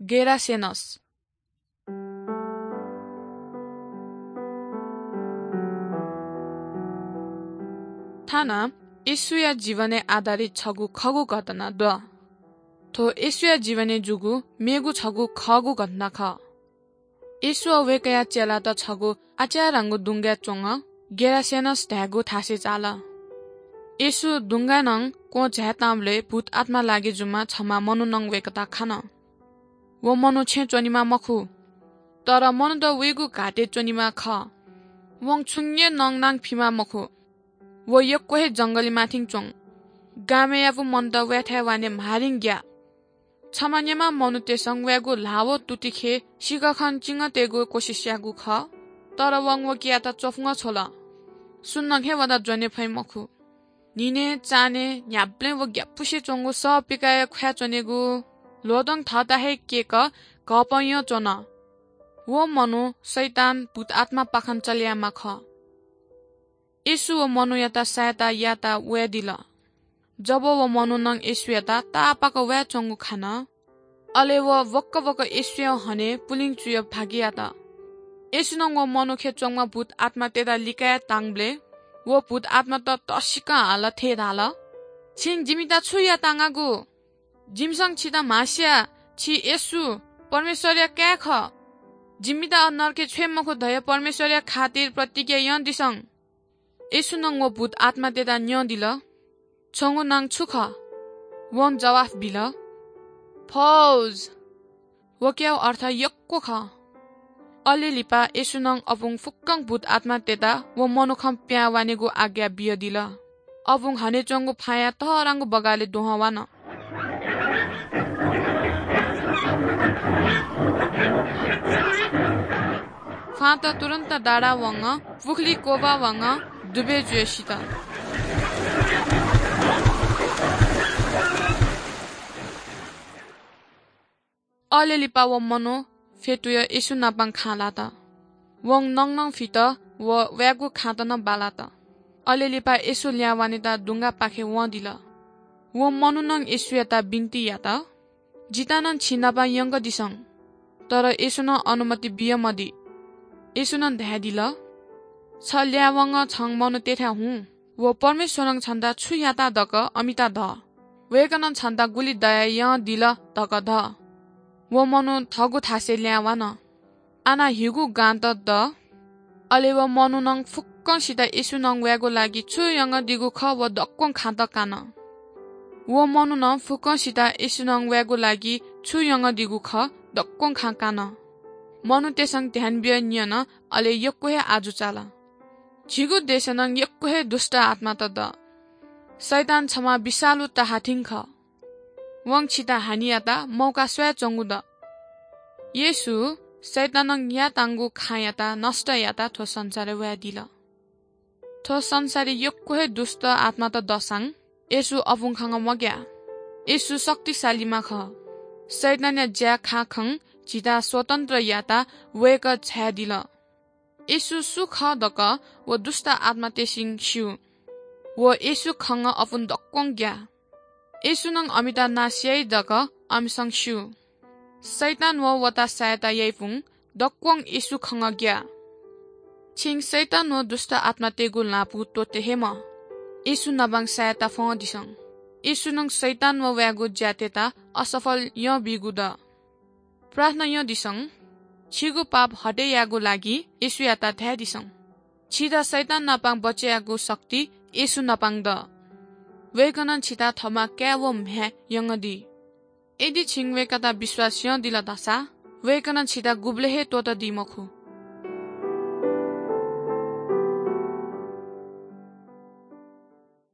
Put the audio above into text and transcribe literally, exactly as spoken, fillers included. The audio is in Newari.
गेरासेनस। थाना येशूया जीवनय् आधारित छगू खःगु घटना दु। थ्व येशूया जीवनय् जूगु मेगु छगू खःगु घटना खः। येशू व वय्कःया चेलात छगू आच्यारांगु दुंगाय् च्वंगु गेरासेनस धायेगु थासय् चाल। येशू दुंगाय् नं क्वं झायेतांबलय् भूत आत्मा लागे जूम्ह छम्ह मनू नं वय्कःयात खन। व मनू छेँय् च्वनेमाः मखु, तर मनूत वइगु घातय् च्वनेमाः खः। वं छुं हे नंनां फीमाः मखु। व यक्व हे जंगलय् माथिं च्वं। गामय्‌यागु मनूत वयाथाय् वने म्हारिं ग्याः। छम्ह न्येम्ह मनूतय्‌सं वयागु ल्हाः व तुतिखे सिकखं चिंगः तयेगु कोसिस याःगु खः, तर वं वकियात च्वफुंगः छ्वल। सुनानं हे वयात ज्वने फइ मखु। न्हिनय्, चान्हय्, न्ह्याबलें व ग्यापुसे च्वंगु सः पिकाया ख्वाँय् च्वनेगु ल्वहंतं थःत हे क्यय्‌क घःपंयं च्वन। व मनू शैतान भूत आत्मापाखें चले याःम्ह खः। येशू व मनूयात सायेत यायेत वयादिल। जब व मनुखं येशूयात ताःपाक वयाच्वंगु खन, अले व वक्क वक्क येशूया हने पुलिं चुयाः भागि यात। येशूं व मनुखय् च्वंम्ह भूत आत्मातय्त लिकाये तांबलय् व भूत आत्मात तःसिकं हालाः थथे धाल, "छिं जिमित छु याये तांगागु? जिमिसं छित म्हास्याः, छि येशू, परमेश्वरया काय् खः। जिमित नरकय् छ्वये मखु धयाः परमेश्वरया खातिर प्रतिज्ञा यानादिसँ।" येशूं व भूत आत्मातय्त न्यंदिल, "छंगु नां छु खः?" वं जवाफ बिल, "फौज।" वकियागु अर्थ यक्व खः। अले लिपा येशूं अपुं फुक्कं भूत आत्मातय्त व मनुखं पिहां वनेगु आज्ञा बियादिल। अपुं हने च्वंगु फाँया तःधंगु बगालय् दुहां वन। फाँत तुरुन्त दादा वंगः, पुखुली क्वब्वा वंगः, दुबय् जुयाः सित। अले लिपा व मनू फ्यतुयाः येशू नाप खँ ल्हात। वं नंनं फीत व वयागु खाँत नं बालात। अले लिपा येशू लिहां वनेत दुंगापाखे वंदिल। व मनुखं येशूयात बिन्ति यात, "जितः नं छिं नाप यंकादिसँ।" तर येशूं अनुमति बियामदी। येशूं धयादिल, "छ लिहां वंगः छं मनूतय्थाय् हुँ, व परमेश्वरं छन्त छु यात धकाः अमित ध। वय्कलं छन्त गुलि दया यानादिल धकाः ध।" व मनू थःगु थासय् लिहां वन। आः नं हीगु गांत द। अले व मनुखं फुक्कसित येशूं वयागु लागि छु यंकादीगु खः व दक्वं खाँत कान। व मनुखं फुक्कसित येशूं वयागु लागि छु यंकादीगु खः दक्वं खँ कान। मनूतय्सं ध्यान बियाः न्यन, अले यक्व हे आजु चाल। झीगु देशय् नं यक्व हे दुष्ट आत्मात द। शैतान छम्ह विषालु तहाथिं खः। वं छित हानि यात मौका स्वयाच्वंगु द। येशू शैतानं यायेत्यंगु खँयात नष्ट यायेत थ्व संसारय् वयादिल। थ्व संसारय् यक्व हे दुष्ट आत्मात दःसां येशू अपुं खंगः मग्याः। येशू शक्तिशालीम्ह खः। शैतानया ज्या खाखं झीत स्वतन्त्र यायेत वय्कः झायादिल। येशू सु खः धकाः व दुष्ट आत्मातय्सं स्यू। व येशू खंगः अपुं दक्वं ग्याः। येशूं अमित नाश याइ धकाः अमिसं स्यू। शैतान व वता सायेत याइपुं दक्वं येशू खंगः ग्याः। छिं शैतान व दुष्ट आत्मातय्गु ल्हापु त्वःते हे मः। येशू नाप सायेत फ्वंदिसँ। येशूं शैतान व वयागु ज्यातय्त असफल यानाबीगु द। प्रार्थना यानादिसँ। छिगु पाप हटे यायेगु लागि येशूयात धायेदिसँ। छित शैतान नाप बचय् यायेगु शक्ति येशू नाप द। वय्कलं छित थःम्ह काय् व म्ह्याय् यंकादी। यदि छिं वय्कःयात विश्वास यानादिल धाःसा वय्कलं छित गुबलें हे त्वःतादी मखु।